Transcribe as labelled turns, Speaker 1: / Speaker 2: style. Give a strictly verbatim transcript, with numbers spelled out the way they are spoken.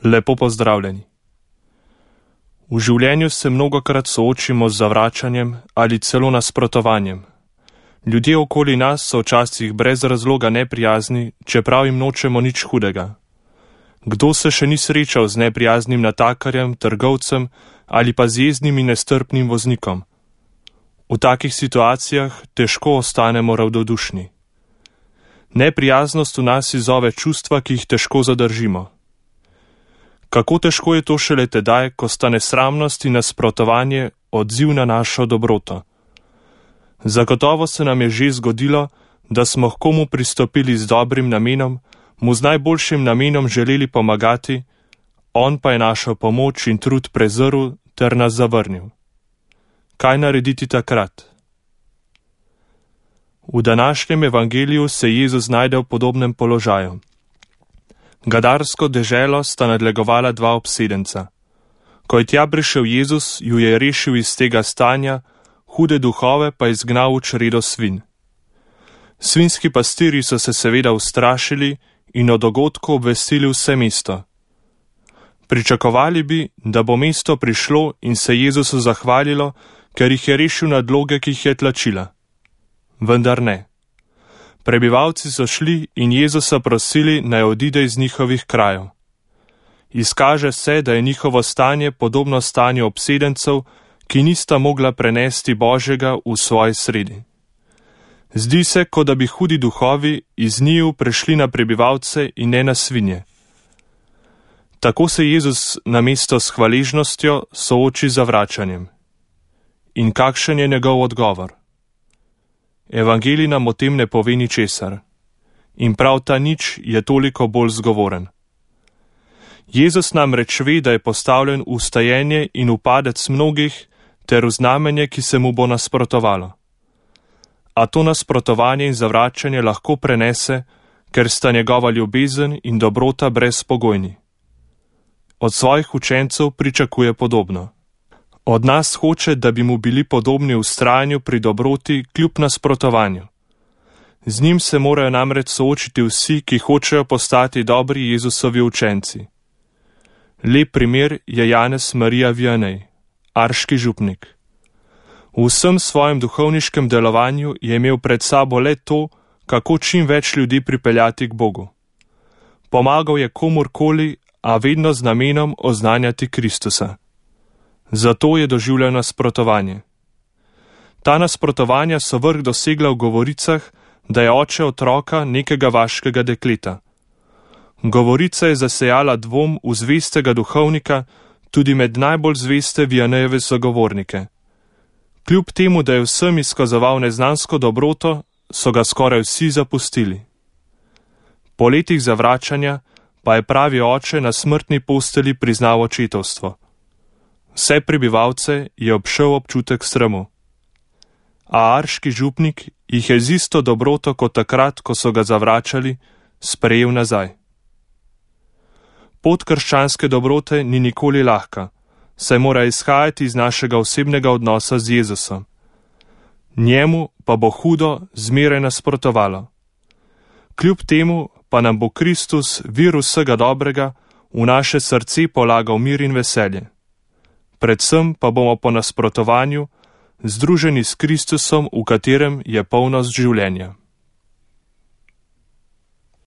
Speaker 1: Lepo pozdravljeni. V življenju se mnogokrat soočimo z zavračanjem ali celo nasprotovanjem. Ljudje okoli nas so včasih brez razloga neprijazni, čeprav jim nočemo nič hudega. Kdo se še ni srečal z neprijaznim natakarjem, trgovcem ali pa z jezdnim in nestrpnim voznikom? V takih situacijah težko ostanemo ravnodušni. Neprijaznost v nas izzove čustva, ki jih težko zadržimo. Kako težko je to šele tedaj, ko sta nesramnost in nasprotovanje odziv na našo dobroto. Zagotovo se nam je že zgodilo, da smo k komu pristopili z dobrim namenom, mu z najboljšim namenom želeli pomagati, on pa je našo pomoč in trud prezrl ter nas zavrnil. Kaj narediti takrat? V današnjem evangeliju se Jezus znajde v podobnem položaju. Gadarsko deželo sta nadlegovala dva obsedenca. Ko je tja prišel Jezus, ju je rešil iz tega stanja, hude duhove pa izgnal v čredo svinj. Svinjski pastirji so se seveda ustrašili in o dogodku obvestili vse mesto. Pričakovali bi, da bo mesto prišlo in se Jezusu zahvalilo, ker jih je rešil nadloge, ki jih je tlačila. Vendar ne. Prebivalci so šli in Jezusa prosili, naj odide iz njihovih krajev. Izkaže se, da je njihovo stanje podobno stanju obsedencev, ki nista mogla prenesti Božjega v svoji sredi. Zdi se, kot da bi hudi duhovi iz njiju prešli na prebivalce in ne na svinje. Tako se Jezus namesto s hvaležnostjo sooči z zavračanjem. In kakšen je njegov odgovor? Evangelij nam o tem ne pove ničesar. In prav ta nič je toliko bolj zgovoren. Jezus namreč ve, da je postavljen v stajenje in v padec mnogih ter v znamenje, ki se mu bo nasprotovalo. A to nasprotovanje in zavračanje lahko prenese, ker sta njegova ljubezen in dobrota brezpogojni. Od svojih učencev pričakuje podobno. Od nas hoče, da bi mu bili podobni v vztrajanju pri dobroti kljub nasprotovanju. Z njim se morajo namreč soočiti vsi, ki hočejo postati dobri Jezusovi učenci. Lep primer je Janez Marija Vianney, arški župnik. V vsem svojem duhovniškem delovanju je imel pred sabo le to, kako čim več ljudi pripeljati k Bogu. Pomagal je komurkoli, a vedno z namenom oznanjati Kristusa. Zato je doživljal nasprotovanje. Ta nasprotovanja so vrh dosegla v govoricah, da je oče otroka nekega vaškega dekleta. Govorica je zasejala dvom v zvestega duhovnika tudi med najbolj zveste Vianneyjeve sogovornike. Kljub temu, da je vsem izkazoval neznansko dobroto, so ga skoraj vsi zapustili. Po letih zavračanja pa je pravi oče na smrtni posteli priznal očetovstvo. Vse prebivalce je obšel občutek sramu. A arški župnik jih je z isto dobroto kot takrat, ko so ga zavračali, sprejel nazaj. Pot krščanske dobrote ni nikoli lahka, saj mora izhajati iz našega osebnega odnosa z Jezusom. Njemu pa bo hudo zmeraj nasprotovalo. Kljub temu pa nam bo Kristus, vir vsega dobrega, v naše srce polagal mir in veselje. Predvsem pa bomo po nasprotovanju združeni s Kristusom, v katerem je polnost življenja.